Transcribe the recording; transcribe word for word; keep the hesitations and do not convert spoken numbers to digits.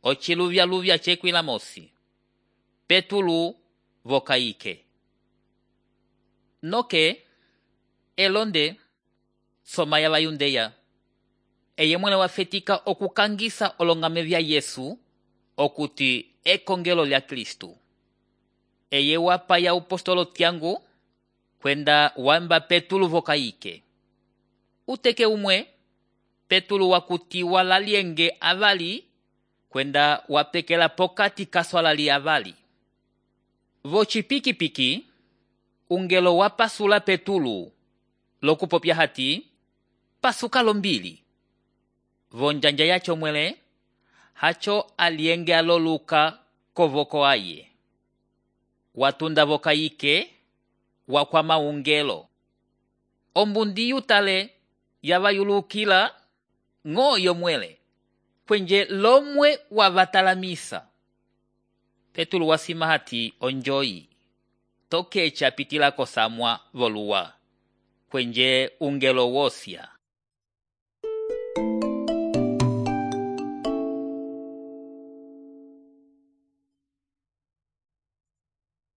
ociluvya-luvya cekwila mosi. Petulo vokayike. Noke, elonde, soma ya vayundeya. Eye mwene wafetika okukangisa olongame vya Yesu, okuti ekongelo lya Kristu. Eye wapa ya upostolo tiangu, kwenda wamba Petulo vokayike. Uteke umwe, Petulo wakuti walalienge avali, kwenda wapekela pokati kaswalali avali. Vocipiki-piki, ungelo wapasula Petulo, lokupopya hati, pasuka lombili. Vonjanja yacho mwele, hacho alienge aloluka kovoko aye. Watunda vokayike, wakwama ungelo. Ombundi yutale, yavayulukila, ngo yomwele, kwenje lomwe wavatalamisa. Petulo wasima hati onjoyi, toke chapitila kosamwa voluwa, kwenje ungelo wosya.